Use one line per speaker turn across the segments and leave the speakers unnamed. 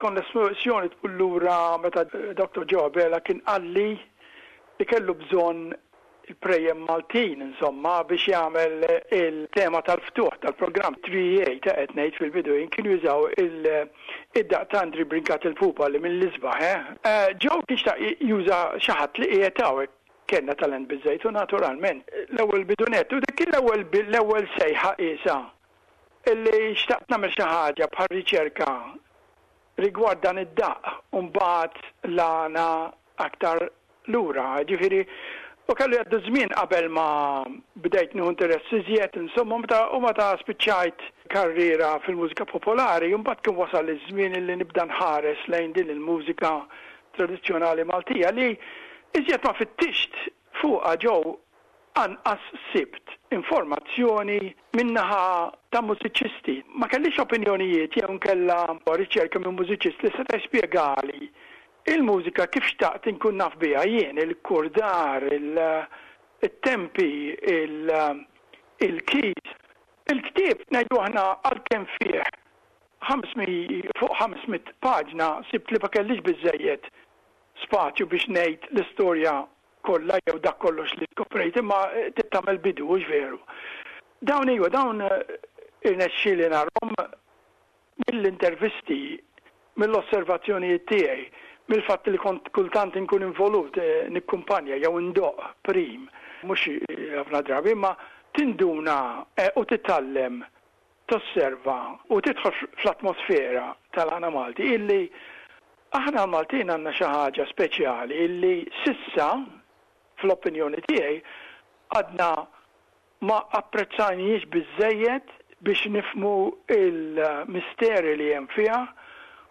Konnessjoni tmur lura meta Dr. Joe Abela kien qalli li kellu bżonn il-prejjem Maltin insomma biex jagħmel il-tema tal-ftuħ tal-programm 3A ta' qed ngħid fil-bidu jien kienu jużaw id-daqq ta' Andri Brincat il-Pupa li mill-isbaħ eh. Joe kien xtaq juża xi ħadd li qiegħed hawn kellna talent biżżejjed u naturalment l-ewwel bidu nett u dik kien l-ewwel l-ewwel sejħa qiesha illi xtaqt nagħmel xi ħaġa bħal riċerka rigward dan id-daqq u mbagħad l-għana aktar lura. Ġifieri, u kellu jgħaddu żmien qabel ma bdejt nieħu interess iżjed, insomma, meta u meta spiċċajt karriera fil-mużika popolari, mbagħad kien wasal iż-żmien illi nibda nħares lejn din il-mużika tradizzjonali Maltija li iżjed ma fittixt fuqha ġew anqas sibt informazzjoni min-naħa ta' mużiċisti. Ma kellix opinjonijiet jew inkella riċerka minn mużiċist li seta' jispjegali il-mużika kif xtaqt inkun naf biha jien, il-kurdar, it-tempi, il-keys. Il-ktieb, ngħidu aħna, għalkemm fih fuq 500 paġna, sibt li ma kellix biżżejjed spazju biex ngħid l-istorja kollha jew dak kollox li skoprejt, imma trid tagħmel bidu, hux veru? Dawn iva, dawn irnexxieli narhom mill-intervisti, mill-osservazzjonijiet tiegħi, mill-fatt li kont kultant inkun involut nikkumpanja jew indoqq prim, mhux ħafna drabi, imma tinduna u titgħallem tosserva u tidħol fl-atmosfera tal-għana Malti illi aħna l-Maltin għandna xi ħaġa speċjali illi s'issa, fl-opinjoni tiegħi, għadna ma apprezzajnihiex biżżejjed biex nifhmu l-misteri li hemm fiha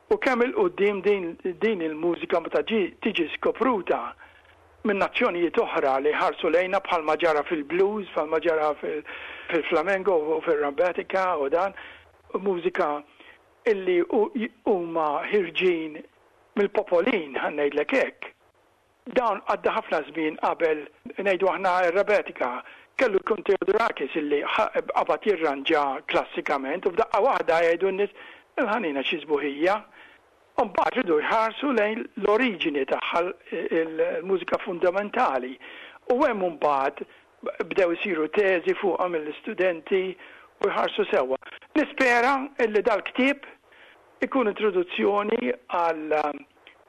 u kemm 'il quddiem din din il-mużika meta tiġi skopruta minn nazzjonijiet oħra li jħarsu lejna bħalma ġara fil-blues, bħalma ġara fil-flamenco u fir-rambetica u dan, mużika illi huma ħirġin mill-popolin, ħa ngħidlek hekk. Dawn għadda ħafna żmien qabel, ngħidu aħna r-rabetica, kellu jkun Theodorakis illi qabad jirranġa klassikament u f'daqqa waħda jgħidu n-nies, il-ħanina xi sbuħija. U mbagħad riedu jħarsu lejn l-oriġini tagħha, il-mużika fundamentali. U hemm imbagħad bdew isiru teżi fuqha mill-istudenti u jħarsu sewwa. Nispera illi dal-ktieb ikun introduzzjoni għal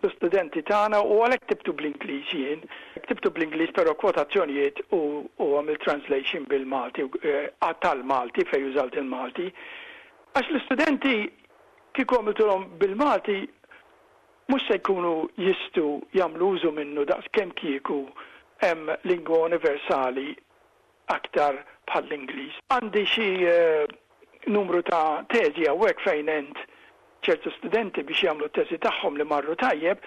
l-istudenti tagħna u għalhekk ktibtu bl-Ingliż jien. Ktibtu bl-Ingliż però kwotazzjonijiet u għamilt translation bil-Malti, tal-Malti fejn użalt il-Malti. Għax l-istudenti Kieku għamiltulhom bil-Malti mhux se jkunu jistgħu jagħmlu użu minnu daqs kemm kieku hemm lingwa universali aktar bħall-Ingliż. Għandi xi numru ta' teżi hawnhekk fejn għent ċertu studenti biex jagħmlu t-teżi tagħhom li marru tajjeb,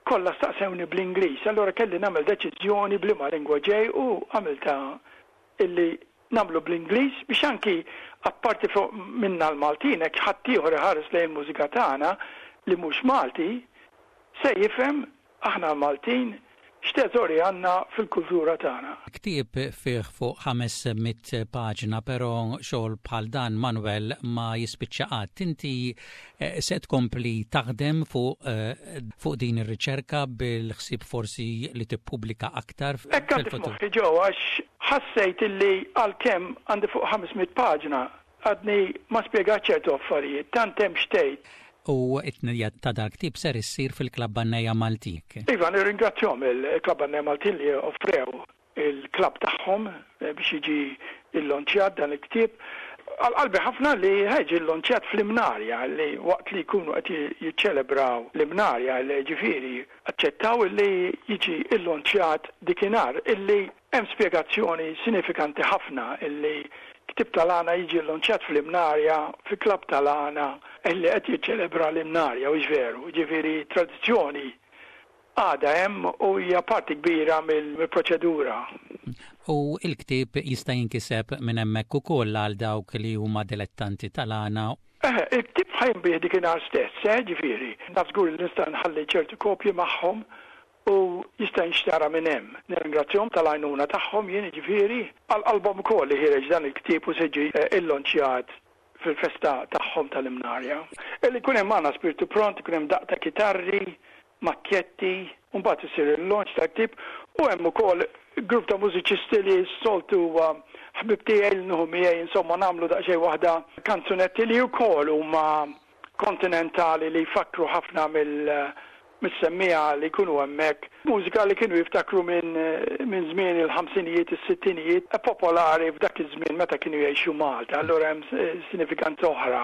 kollha staqsewni bl-Ingliż, allura kelli nagħmel deċiżjoni b'liema lingwa ġej u għamiltha illi nagħmlu bl-Ingliż biex anki apparti fuq minna l-Maltin hekk ħaddieħor iħares lejn il-mużika tagħna li mhux Malti se jifhem aħna l-Maltin x'teżori għandna fil-kultura tagħna.
Ktieb fih fuq 500 paġna però xogħol bħal dan Manuel ma jispiċċa qatt. Inti se tkompli taħdem fuq fuq din ir-riċerka bil-ħsieb forsi li tippubblika aktar
fil-futur? Hekk għandi f'moħħi Joe għax ħassejt illi għalkemm għandi fuq 500 paġna għadni ma spjegajt ċertu affarijiet, tant hemm x'tgħid.
U t-tnedija ta' dal-ktieb ser issir fil-Klabb Għannejja Maltin.
Iva, nirringrazzjahom il-Klabb Għannejja Maltin li offrew il-klabb tagħhom biex jiġi llonċjat dan il-ktieb. Għal qalbi ħafna li ħa jiġi llonċjat fl-Imnarja li waqt li jkunu qed jiċċelebraw l-Imnarja li ġifieri aċċettaw li jiġi llonċjat dikinhar illi hemm spjegazzjoni sinifikanti ħafna illi ktieb tal-għana jiġi llonċjat fl-Imnarja, fi klabb tal-għana illi qed jiċċelebra l-Imnarja, hux veru? Ġifieri tradizzjoni għadha hemm u hija parti kbira mill-proċedura.
U l-ktieb jista' jinkiseb minn hemmhekk ukoll għal dawk li huma dilettanti tal-għana.
Eħe, il-ktieb ħa jinbiegħ dikinhar stess, eh, ġifieri, naf żgur li nista' nħalli ċertu kopji magħhom u jista' jinxtara minn hemm. Nirringrazzjahom tal-għajnuna tagħhom jien, jiġifieri, għal qalbhom ukoll li ħiereġ dan il-ktieb u se jiġi llonċjat fil-festa tagħhom. tagħhom tal-Imnarja. Illi jkun hemm magħna spirtu pront, ikun hemm daqq ta' kitarri, makkjetti, u mbagħad isir il-launch tal-ktieb u hemm ukoll grupp ta' mużiċisti li s-soltu huwa ħbieb tiegħi li nieħu miegħi insomma nagħmlu daqsxejn waħda kanzunetti li wkoll huma kontinentali li jfakkru ħafna mill mis-semmiegħa li jkunu hemmhekk, mużika li kienu jiftakru minn minn żmien il-ħamsinijiet, is-sittinijiet, popolari f'dak iż-żmien meta kienu jgħixu Malta, allura hemm sinifikanza oħra.